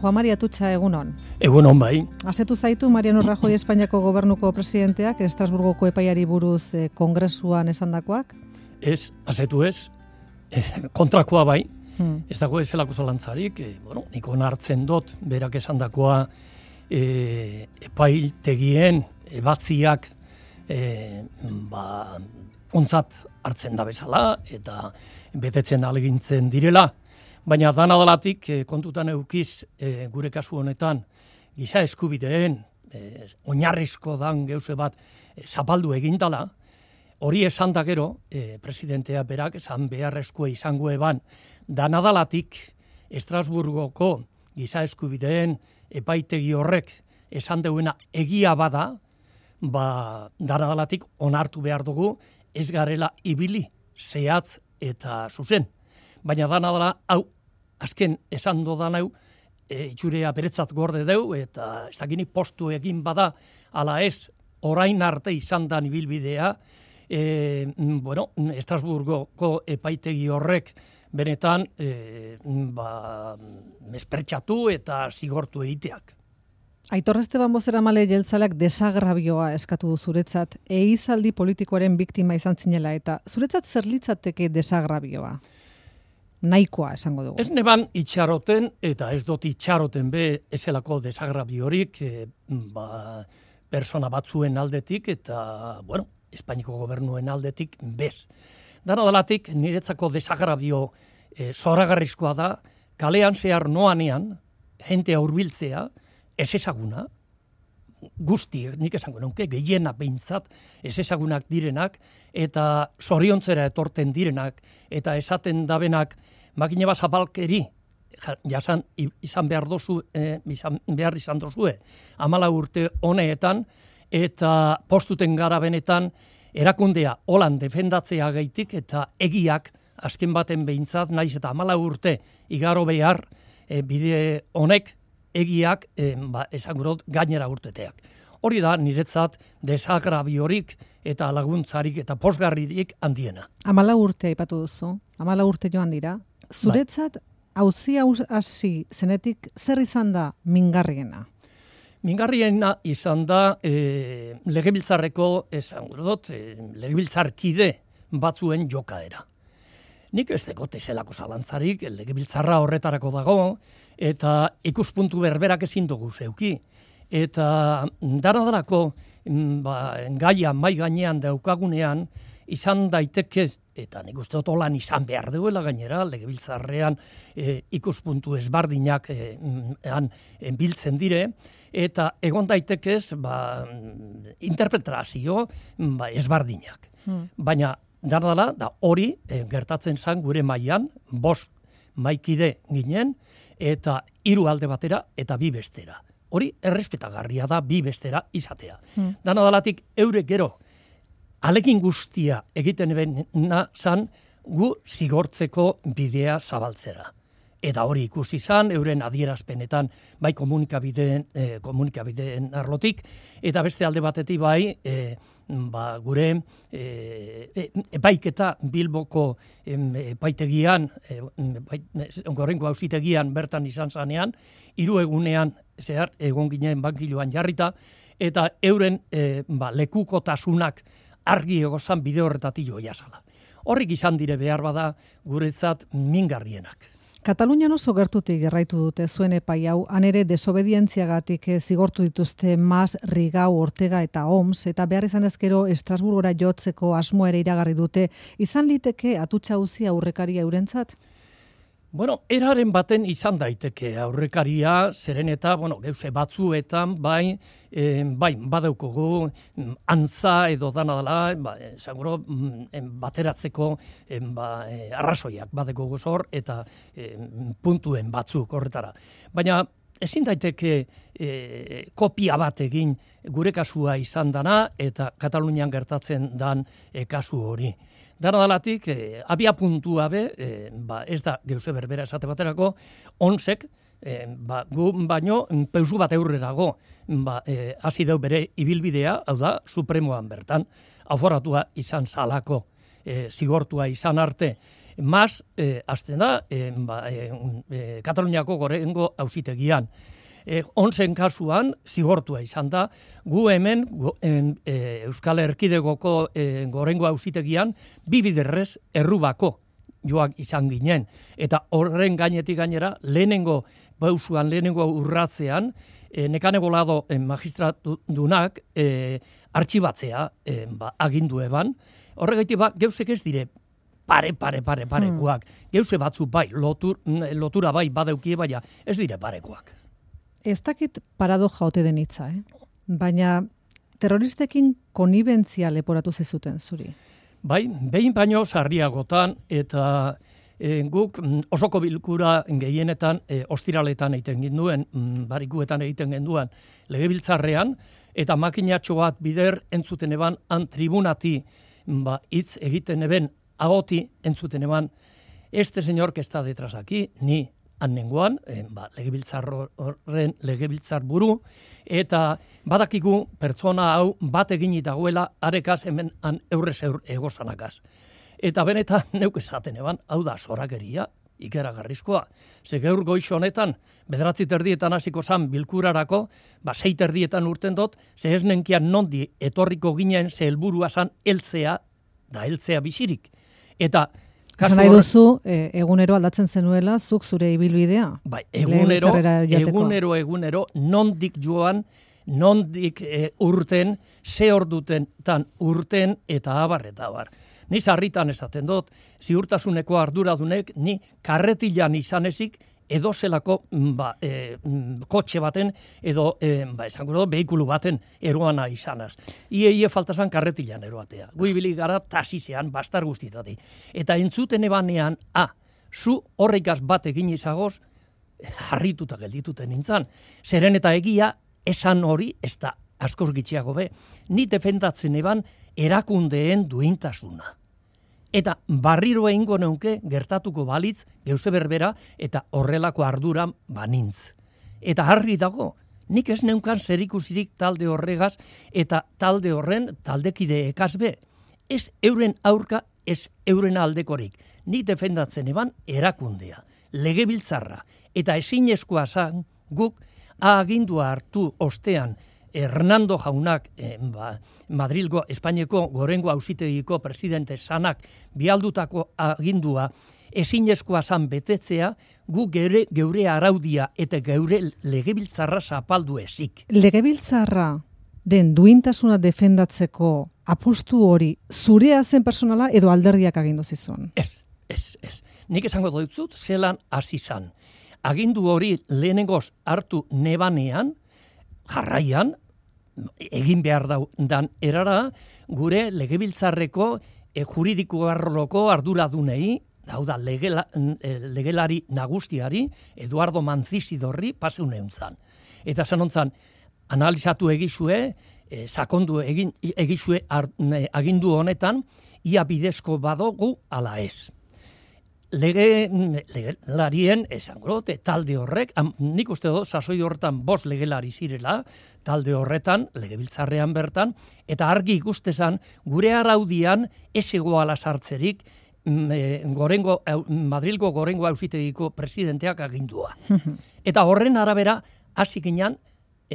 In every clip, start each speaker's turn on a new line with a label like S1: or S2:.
S1: Juan Mari Atutxa, egunon.
S2: Egunon bai.
S1: Asetu zaitu Mariano Rajoy Espainiako gobernuko presidenteak Estrasburgoko epaiari buruz kongresuan esandakoak?
S2: Ez, asetu ez. Kontrakoa bai. Ez dago ezelako zalantzarik. Nik onartzen dut berak esandakoa epaitegien ebatziak ontzat hartzen da bezala eta betetzen alegintzen direla. Baina dana dalatik kontutan eukiz gure kasu honetan giza eskubideen oinarrizko dan geuse bat zapaldu egindala, hori esan da gero presidentea berak esan beharrezkoa izango eban dana dalatik Estrasburgoko giza eskubideen epaitegi horrek esan deuena egia bada, dana dalatik onartu behar dugu ez garela ibili zehatz eta zuzen. Baina dana dela, hau, azken esan dodan hau, itxurea beretzat gorde deu, eta ez dakini postu egin bada, ala ez, orain arte izan da ibilbidea, Estrasburgoko epaitegi horrek benetan mespretsatu eta zigortu egiteak.
S1: Aitor Esteban bozeramale jeltzaleak desagravioa eskatu du zuretzat, ehizaldi politikoaren biktima izan zinela, eta zuretzat zer litzateke desagravioa? Nahikoa esango dugu. Ez
S2: neban itxaroten, eta ez dut itxaroten be ezelako desagraviorik persona batzuen aldetik, eta, Espainiko gobernuen aldetik bez. Dana dalatik niretzako desagravio zoragarrizkoa da, kalean zehar noanean, jentea hurbiltzea, ez ezaguna, guztiek, nik esango nuke, gehiena behintzat, ez ezagunak direnak, eta zoriontzera etorten direnak, eta esaten dabenak, makine bat zapalkeri, jasan izan behar izan dozue, 14 urte honeetan, eta postuten gara benetan, erakundea holan defendatzea gaitik, eta egiak, azken baten behintzat, naiz eta 14 urte igaro behar, bide honek, egiak esagurot gainera urteteak. Hori da niretzat desagraviorik eta laguntzarik eta posgarririk handiena.
S1: 14 urte aipatu duzu, 14 urte joan dira. Zuretzat auzia hasi zenetik zer izan da mingarriena?
S2: Mingarriena izan da legebiltzarreko legebiltzarkide batzuen jokaera. Nik ez dekot ezelako zalantzarik, legebiltzarra horretarako dago, eta ikuspuntu berberak ezin dugu zeuki. Eta daradalako gaia mai gainean daukagunean izan daiteke, eta nik uste dut holan izan behar duela gainera, legebiltzarrean ikuspuntu ezbardinak biltzen dire, eta egon daitekez interpretazio ezbardinak. Baina dardala, da hori gertatzen zen gure mailan, 5 maikide ginen, eta 3 alde batera eta 2 bestera. Hori errespetagarria da 2 bestera izatea. Dana dalatik eure gero, alegin guztia egiten bena zan gu zigortzeko bidea zabaltzera. Eta hori ikusi zan, euren adierazpenetan bai komunikabideen arlotik, eta beste alde batetik bai, gure epaiketa Bilboko epaitegian, gorrengo auzitegian bertan izan zanean, 3 egunean zehar egon ginen bankiloan jarrita, eta euren lekukotasunak argi egozan bide horretatik joia zala. Horrik izan dire behar bada guretzat mingarrienak.
S1: Katalunian oso gertutik gerraitu dute zuen epai hau, han ere desobedientziagatik zigortu dituzte Mas, Rigau, Ortega eta Oms, eta behar izan ezkero Estrasburgora jotzeko asmoa ere iragarri dute, izan liteke Atutxa auzia aurrekaria eurentzat?
S2: Eraren baten izan daiteke aurrekaria, zeren eta, geuse batzuetan, bai, badaukogu antza edo dana dela, seguro bateratzeko arrazoiak badaukogu zor, eta puntuen batzuk horretara. Baina ezin daiteke kopia bat egin gure kasua izan dana, eta Katalunian gertatzen dan kasu hori. Daradalatik, abia puntua be, ez da geuse berbera esate baterako, onsek, gu baino, peusu bat eurrerago, hasi deu bere ibilbidea, hau da, supremoan bertan, aforatua izan zalako, zigortua izan arte, azten da, Kataluniako gorengo auzitegian. Onzen kasuan, zigortua izan da, gu hemen Euskal Erkidegoko gorengo auzitegian, bibiderrez errubako joak izan ginen. Eta horren gainetik gainera, lehenengo urratzean, Nekane Bolado magistratudunak artxibatzea agindu eban. Horregaitik geuzek ez dire parekoak. Geuze batzu bai, lotura bai badeukie, baina ez dire parekoak.
S1: Ez dakit paradoja ote den hitza, baina terroristekin konibentzia leporatu zizuten zuri.
S2: Bai, behin baino sarriagotan eta guk osoko bilkura gehienetan ostiraletan egiten genduen, barikuetan egiten genduen legebiltzarrean, eta makinatxo bat bider entzuten eban tribunati hitz egiten eben agoti entzuten eban, este señor que está detrás aquí, ni annengoan, legebiltzar buru, eta badakigu pertsona hau bat egin dagoela arekaz hemen eurrez egozanakaz. Eta benetan neuk esaten eban, hau da zorakeria, ikeragarrizkoa. Ze gaur goiz honetan, 9:30 hasiko zan bilkurarako, 6:30 urten dut, ze ez nenkian nondi etorriko ginen ze helburua zan heltzea bizirik. Eta
S1: Esan nahi duzu, egunero aldatzen zenuela, zuk zure ibilbidea?
S2: Bai, egunero, nondik joan, nondik urten, ze orduten urten eta abar. Ni sarritan esaten dut, ziurtasuneko arduradunek, ni karretilan izan ezik, edo zelako kotxe baten, edo esango dut, behikulu baten eroana izanaz. Ie faltazan karretilan eroatea. Guibili gara tasizean, bastar guztitati. Eta entzuten ebanean, zu horrekaz bat egin izagoz, harrituta geldituten nintzen. Zeren eta egia, esan hori, ez da askoz gitxiago be. Ni defendatzen eban erakundeen duintasuna. Eta barriro egingo neuke gertatuko balitz geuze berbera eta horrelako arduran banintz. Eta harri dago, nik ez neukan zerikusirik talde horregaz eta talde horren taldekide ekazbe. Ez euren aurka, ez euren aldekorik. Nik defendatzen eban erakundea, legebiltzarra. Eta ezinezkoa zan guk agindua hartu ostean Hernando jaunak, Madrilgo, Espainiako gorengo auzitegiko presidente sanak bialdutako agindua ezinezkoa zan betetzea, gu geure araudia eta geure legebiltzarra zapaldu ezik.
S1: Legebiltzarra den duintasuna defendatzeko apustu hori zurea zen personala edo alderdiak agindu zizun?
S2: Ez. Nik esango dut zelan hasi zan. Agindu hori lehenengoz hartu nebanean, jarraian, egin behar dan erara, gure legebiltzarreko juridiko arloko arduradunei, hau da legelari nagustiari, Eduardo Manzizidorri paseuneuntzan. Eta zanontzan, analizatu egizue, sakondu egizue agindu honetan, ia bidezko badogu ala ez. Legelarien, esango, talde horrek, nik uste dut, sasoi horretan 5 legelari zirela, talde horretan, legebiltzarrean bertan, eta argi ikustezan, gure araudian ez egoala sartzerik Madrilgo gorengo auzitegiko presidenteak agindua. Eta horren arabera, hasi ginen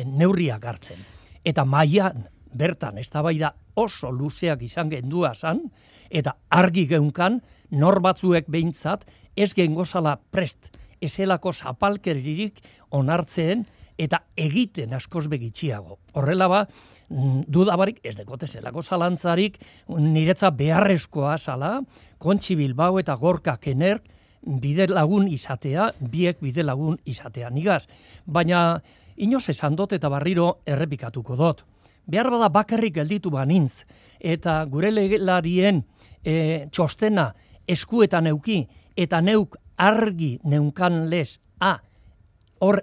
S2: neurriak hartzen. Eta mailan bertan, eztabaida oso luzeak izan gendua zan, eta argi geunkan, nor batzuek behintzat, ez gengozala prest, ezelako zapalkeririk onartzen, eta egiten askoz begitxiago. Horrela dudabarik, ez dekote zelako zalantzarik, niretza beharrezkoa zala, Kontxi Bilbao eta Gorka Kener bide lagun izatea, biek bide lagun izatea nigaz. Baina, inoz esan dut eta barriro errepikatuko dut. Behar bada bakarrik gelditu banintz, eta gure legelarien txostena eskuetan euki, eta neuk argi neunkan lez,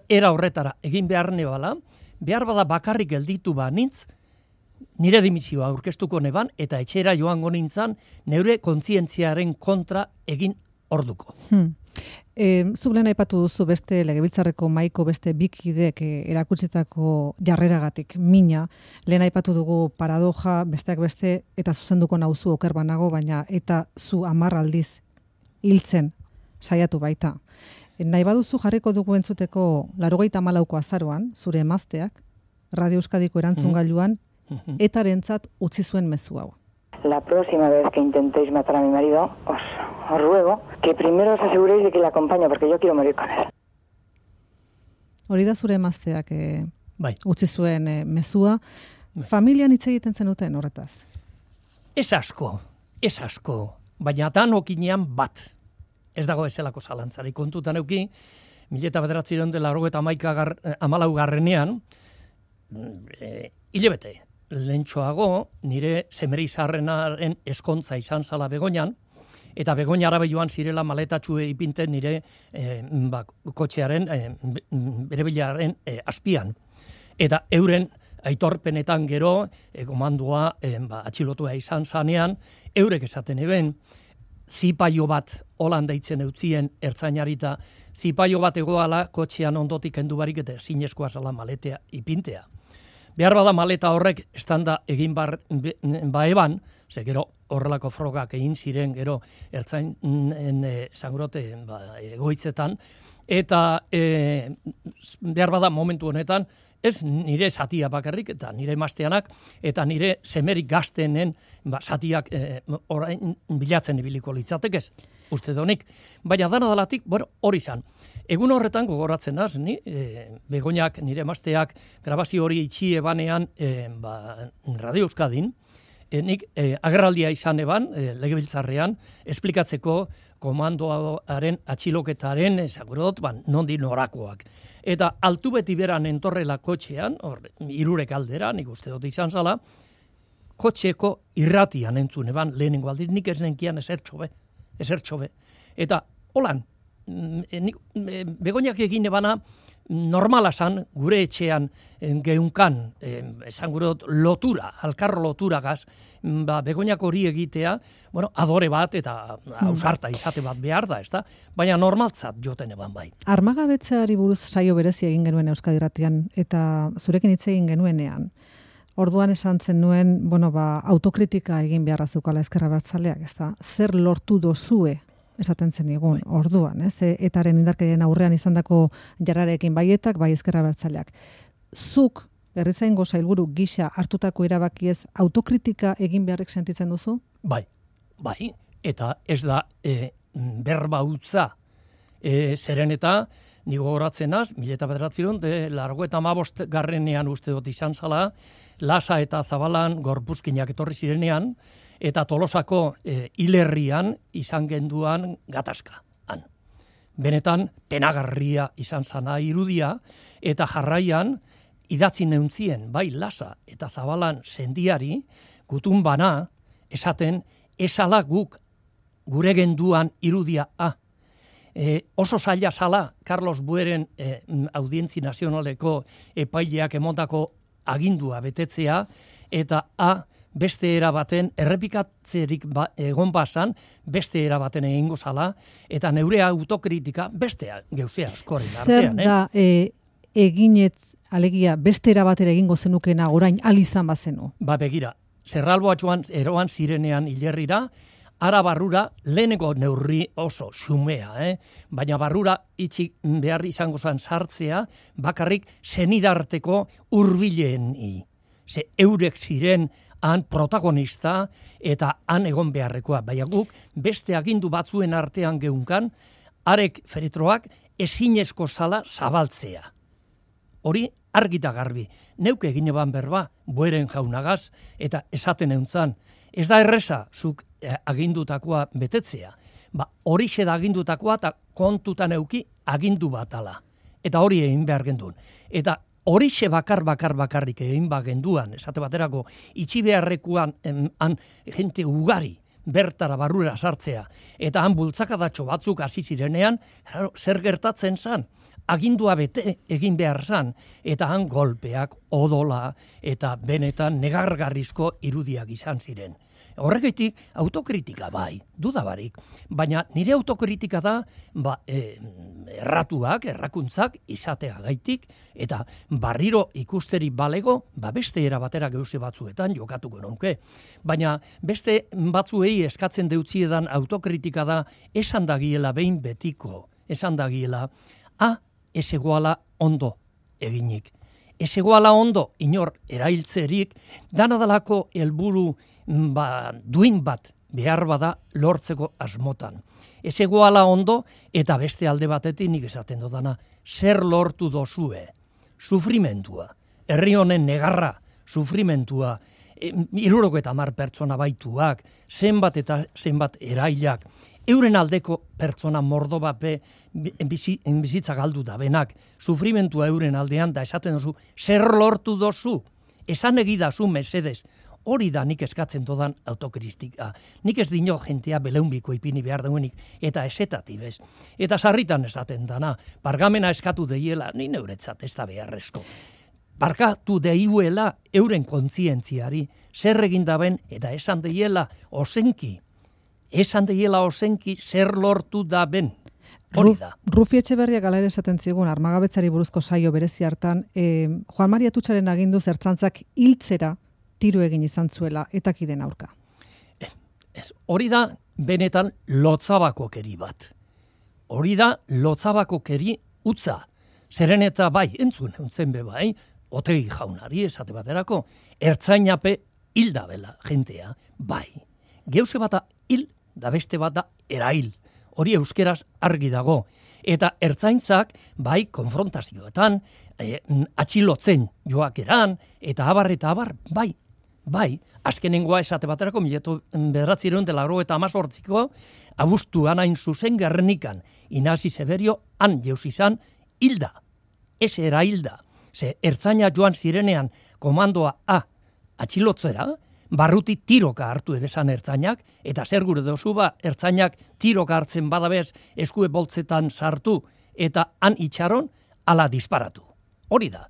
S2: era horretara egin behar nebala, behar bada bakarrik gelditu banintz, nire dimisioa aurkeztuko neban, eta etxera joango nintzan, neure kontzientziaren kontra egin orduko.
S1: Zuk lehen aipatu duzu beste legebiltzarreko mahaiko beste bikidek erakutsitako jarreragatik mina, lehen aipatu dugu paradoja, besteak beste, eta zuzenduko nauzu oker banago, baina eta zu 10 aldiz hiltzen saiatu baita. Nahi baduzu jarriko dugu entzuteko 94ko azaroan, zure emazteak, Radio Euskadiko erantzungailuan, etarentzat utzi zuen mezu hau.
S3: La próxima vez que intentéis matar a mi marido, os ruego que primero os aseguréis de que le acompaño, porque yo quiero morir con él.
S1: Hori da zure emazteak
S2: Bai.
S1: utzi zuen mezua. Familian hitz egiten zenuten horretaz?
S2: Ez asko, baina danokinean bat. Ez dago ezelako zalantzari kontutan euki, 1984 hilebete, lehentxoago nire semerizarrenaren eskontza izan zala Begoñan, eta Begoña arabe joan zirela maletatxue ipinten nire kotxearen, bere bilaren azpian. Eta euren aitorpenetan gero, komandua atxilotua izan zanean, eurek esaten eben, zipaio bat holan deitzen eutzien ertzainarita, zipaio bat egoala kotxean ondotik kendu barik eta zinezkoa zala maletea ipintea. Behar bada maleta horrek estanda egin baeban, ze gero horrelako frogak egin ziren gero ertzainen zangrote egoitzetan, eta behar bada momentu honetan, ez nire zatia bakarrik, eta nire emazteanak, eta nire semerik gaztenen zatiak orain bilatzen ibiliko litzatekez, uste donik. Baina dana dalatik, hori izan. Egun horretan gogoratzen az, Begoñak, nire emazteak, grabazio hori itxi ebanean Radio Euskadin, nik agerraldia izan eban, legebiltzarrean, esplikatzeko komandoaren atxiloketaren, nondi norakoak. Eta altu beti beran entorrela kotxean, irurek aldera, nik uste dut izan zala, kotxeko irratian entzun eban, lehenengo aldiz, nik ez nenkian esertxobe. Eta holan, Begoñak egin ebana, normala zan, gure etxean geunkan, esan gure lotura, alkarro loturagaz, Begoñak hori egitea, adore bat eta ausarta izate bat behar da, ezta? Baina normaltzat joten eban bai.
S1: Armagabetzeari buruz saio berezi egin genuen Euskadi Irratian, eta zurekin hitz egin genuenean, orduan esan zen nuen, autokritika egin beharra zeukala Ezker Abertzaleak, ezta? Zer lortu dozue esaten zen egun, orduan, ez? Etaren indarkerien aurrean izandako jarrarekin baietak, bai Ezker Abertzaleak. Zuk, herrizaingo sailburu gisa hartutako erabakiez, autokritika egin beharrek sentitzen duzu?
S2: Bai, eta ez da berba utza. Zeren eta, nigo horatzen az, 1985 uste dut izan zala, Lasa eta Zabalan gorpuzkinak etorri zirenean, eta Tolosako hilerrian izan genduan gatazka. Benetan, penagarria izan zana irudia, eta jarraian, idatzi neuntzien, bai Lasa eta Zabalan sendiari, gutun bana, esaten, esala guk gure genduan irudia oso zaila zala Carlos Bueren Audientzi Nazionaleko epaileak emondako agindua betetzea, eta beste erabaten, errepikatzerik egon basan, beste erabaten egingo zala, eta neure autokritika bestea geuzea askoren artean.
S1: Zer da eginez, alegia, beste erabatera egingo zenukena orain alizan bazenu?
S2: Begira, Zerralboatxoan eroan zirenean hilerrira, ara barrura leheneko neurri oso xumea, baina barrura itxi behar izango zen sartzea, bakarrik zenidarteko hurbileen. Ze eurek ziren han protagonista eta han egon beharrekoa. Baina guk beste agindu batzuen artean geunkan, arek feritroak ezinezko zala zabaltzea. Hori argita garbi. Neuk egin eban berba, Bueren jaunagaz, eta esaten euntzan. Ez da erreza, zuk agindutakoa betetzea. Horixe da agindutakoa eta kontutan euki agindu batala. Eta hori egin behar gendun. Eta horixe bakarrik egin bagenduan, esate baterako, itxi beharrekuan jente ugari bertara barrura sartzea, eta han bultzakadatxo batzuk hasi zirenean, zer gertatzen zan? Agindua bete egin behar zan, eta han golpeak, odola, eta benetan negargarrizko irudiak izan ziren. Horregatik autokritika bai, dudabarik, baina nire autokritika da errakuntzak izatea gaitik, eta barriro ikusteri balego, beste era batera geuze batzuetan jokatuko nuke. Baina beste batzuei eskatzen deutziedan autokritika da esan dagiela behin betiko, esan dagiela, ez egoala ondo eginik. Ez egoala ondo inor erailtzerik, danadalako helburu duin bat behar bada lortzeko asmotan. Ez egoala ondo eta beste alde batetik nik esaten dodana, zer lortu dozue, sufrimentua, herri honen negarra, sufrimentua, 70 pertsona baituak, zenbat eta zenbat erailak, euren aldeko pertsona mordo bape bizitza galdu da benak, sufrimentua euren aldean da esaten dozu, zer lortu dozu, esan egidazu mesedez, hori da nik eskatzen dodan autokritika. Nik ez dino jentea beleunbiko ipini behar duenik, eta esetatibez. Eta sarritan esaten dana, bargamena eskatu deiela, ni neuretzat ez da beharrezko. Barkatu deiuela euren kontzientziari, zer egin daben, eta esan deiela ozenki, zer lortu daben. Hori da.
S1: Rufi Etxeberria galera esaten zigun, armagabetzari buruzko saio berezi hartan, Juan Maria Atutxaren aginduz ertzantzak hiltzera tiro egin izan zuela, etakiden aurka.
S2: Hori da benetan lotzabakokeri bat. Hori da lotzabakokeri utza. Zeren eta bai, entzun be bai, Otegi jaunari esate baterako, ertzainape hilda bela jentea, bai. Geuse bata hil, da beste bata erail. Hori euskeraz argi dago. Eta ertzaintzak, bai, konfrontazioetan, atxilotzen joakeran, eta abar, bai, azkenengoa esate baterako, 1998ko, abuztuan hain zuzen Gernikan, Inasi Severio, han jeus izan, hilda, ez era hilda. Ze ertzaina joan zirenean komandoa atxilotzera, barruti tiroka hartu ebesan ertzainak, eta zer gure dozu ertzainak tiroka hartzen badabez eskue boltzetan sartu, eta han itxaron, ala disparatu. Hori da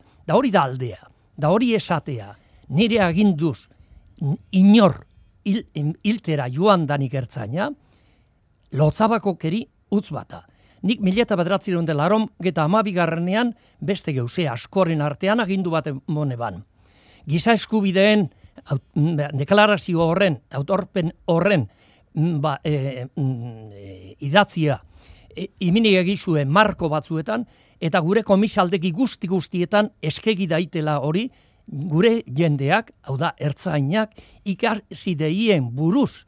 S2: aldea, da hori esatea, nire aginduz inor hiltera joan danik ertzaina, lotzabakokeri utz bata. Nik 1982 beste geuse askoren artean agindu bat emone ban. Giza eskubideen deklarazio horren, autorpen horren idatzia iminik egizue marko batzuetan, eta gure komisaldeki guztietan eskegi daitela hori, gure jendeak, hau da, ertzainak, ikasi deien buruz,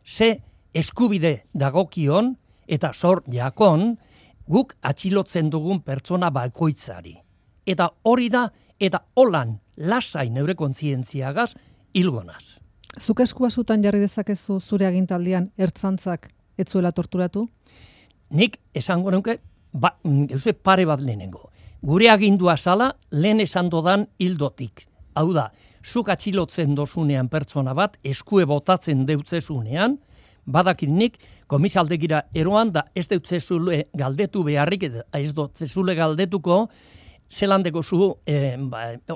S2: ze eskubide dagokion, eta zor jakon, guk atxilotzen dugun pertsona bakoitzari. Eta hori da, eta holan lasai neure kontzientziagaz hilgonaz.
S1: Zuk eskua zutan jarri dezakezu zure agintaldian ertzantzak ez zuela torturatu?
S2: Nik esango nuke, geuse pare bat lehenengo. Gure agindua zala lehen esan dodan hildotik. Hau da, zuk atxilotzen dozunean pertsona bat, eskue botatzen deutzezunean, badakit nik, komisaldegira eroan da ez deutzezule galdetu beharrik, ez dotzezule galdetuko, zelan dekozu,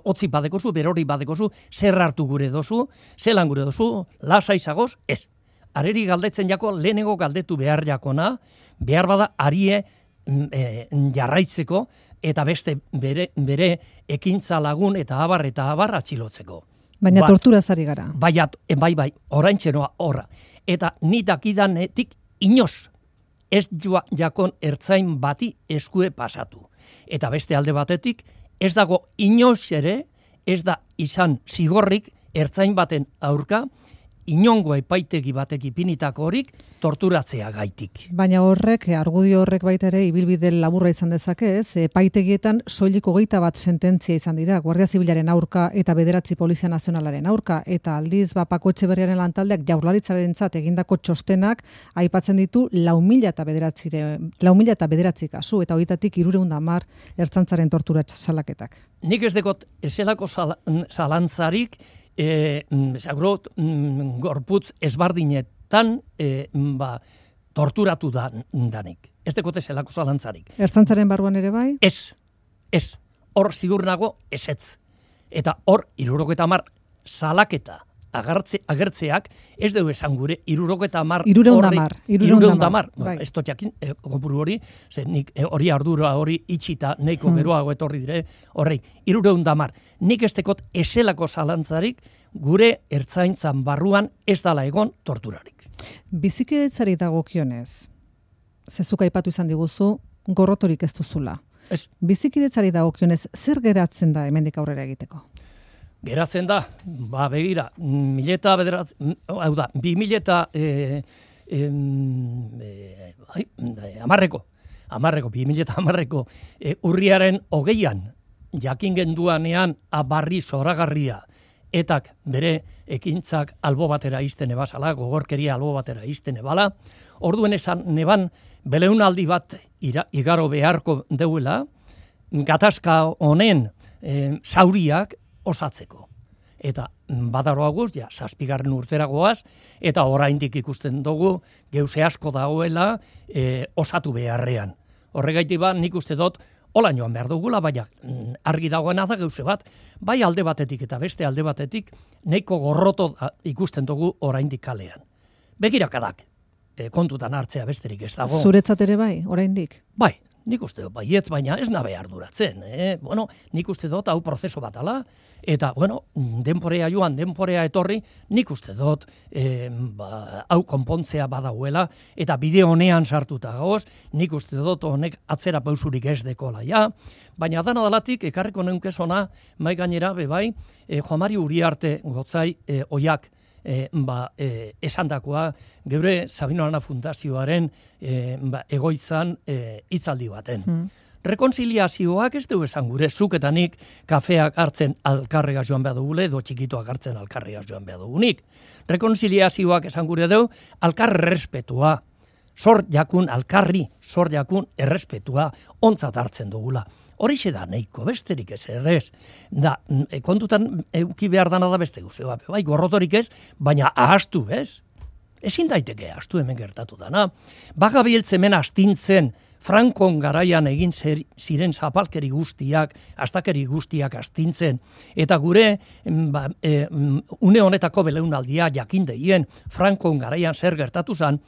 S2: otzi badekozu, berori badekozu, zer hartu gure dozu, zelan gure dozu, lasa izagoz, ez. Areri galdetzen jako, lehenengo galdetu behar jakona, behar bada arie jarraitzeko, eta beste bere ekintza lagun eta abar atxilotzeko.
S1: Baina torturaz ari gara.
S2: Bai, oraintxenoa horra. Eta ni dakidanetik inoz ez jakon ertzain bati eskue pasatu. Eta beste alde batetik, ez dago inoz ere, ez da izan zigorrik ertzain baten aurka, inongo epaitegi batek ipinitako horik torturatzea gaitik.
S1: Baina horrek, argudio horrek baita ere, ibilbide laburra izan dezake, ez? Epaitegietan soilik 21 sententzia izan dira, Guardia Zibilaren aurka eta 9 Polizia Nazionalaren aurka, eta aldiz Pako Etxeberriaren lantaldeak Jaurlaritzarentzat egindako txostenak aipatzen ditu 4.009 kasu, eta horietatik 310 ertzantzaren tortura salaketak.
S2: Nik ez dekot ezelako zalantzarik, gorputz ezbardinetan torturatu danik. Ez dekote zelako zalantzarik.
S1: Ertzantzaren barruan ere bai?
S2: Ez. Hor zigur nago ezetz. Eta hor 70 salaketa agertzeak ez dugu esan gure 70
S1: 310.
S2: Ez dut jakin, kopuru hori, ze nik hori ardura hori itxita neiko geroago etorri dire, horrei, 310. Nik ez tekot eselako zalantzarik gure ertzaintzan barruan ez dala egon torturarik.
S1: Bizikidetzari dagokionez, zezuk aipatu izan diguzu, gorrotorik ez duzula.
S2: Ez.
S1: Bizikidetzari dagokionez, zer geratzen da hemendik aurrera egiteko?
S2: Geratzen da, begira, 2010ko urriaren 20an jakin genduanean abarri zoragarria etak bere ekintzak albo batera izten ebazala, gogorkeria albo batera izten ebala, orduen esan neban beleunaldi bat igaro beharko deuela, gatazka honen zauriak osatzeko. Eta badaroaguz, 7. urtera goaz, eta oraindik ikusten dugu geuse asko dagoela osatu beharrean. Horregaitik nik uste dut, hola joan behar dugula, baina argi dagoena da geuse bat, bai alde batetik eta beste alde batetik, nahiko gorroto ikusten dugu oraindik kalean. Begirakadak, kontutan hartzea besterik ez dago.
S1: Zuretzat ere bai, oraindik?
S2: Bai, nik uste dut, baietz, baina ez nabe arduratzen. Bueno, nik uste dut, hau prozeso bat ala, eta, bueno, denporea joan, denporea etorri, nik uste dut, hau konpontzea badauela, eta bide honean sartuta gauz, nik uste dut honek atzera pausurik ez dekola, ja, baina dana dalatik, ekarriko neunkezona, mai gainera, bebai, Juan Mari Uriarte gotzai oiak, esandakoa geure Sabino Arana Fundazioaren egoitzan hitzaldi baten. Rekonziliazioak ez du esan gure, zuk eta nik kafeak hartzen alkarrega joan behar dugule, edo txikitoak hartzen alkarrega joan behar dugunik. Rekonziliazioak esan gure du, alkar errespetua, alkarri zor jakun errespetua ontzat hartzen dugula. Horixe da nahiko, besterik ez errez. Da, kontutan euki behar dana da beste guzti. Bai, gorrotorik ez, baina ahastu, ez? Ezin daiteke ahastu hemen gertatu dana. Bagabiltz hemen astintzen, Frankon garaian egin ziren zapalkeri guztiak, astakeri guztiak astintzen, eta gure une honetako beleunaldia jakindeien Frankon garaian zer gertatu zen,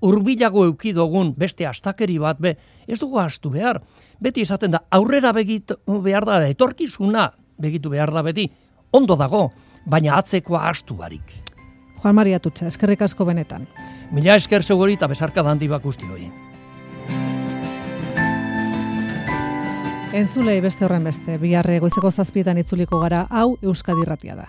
S2: hurbilago euki dugun beste astakeri bat, ez dugu ahastu behar. Beti esaten da, aurrera begitu behar da, etorkizuna begitu behar da beti, ondo dago, baina atzekoa ahastu barik.
S1: Juan Mari Atutxa, eskerrik asko benetan.
S2: Mila esker seguri eta bezarka dandi bakusti hori.
S1: Entzulei beste horren beste, biharre goizeko 7 itzuliko gara, hau Euskadi Irratia da.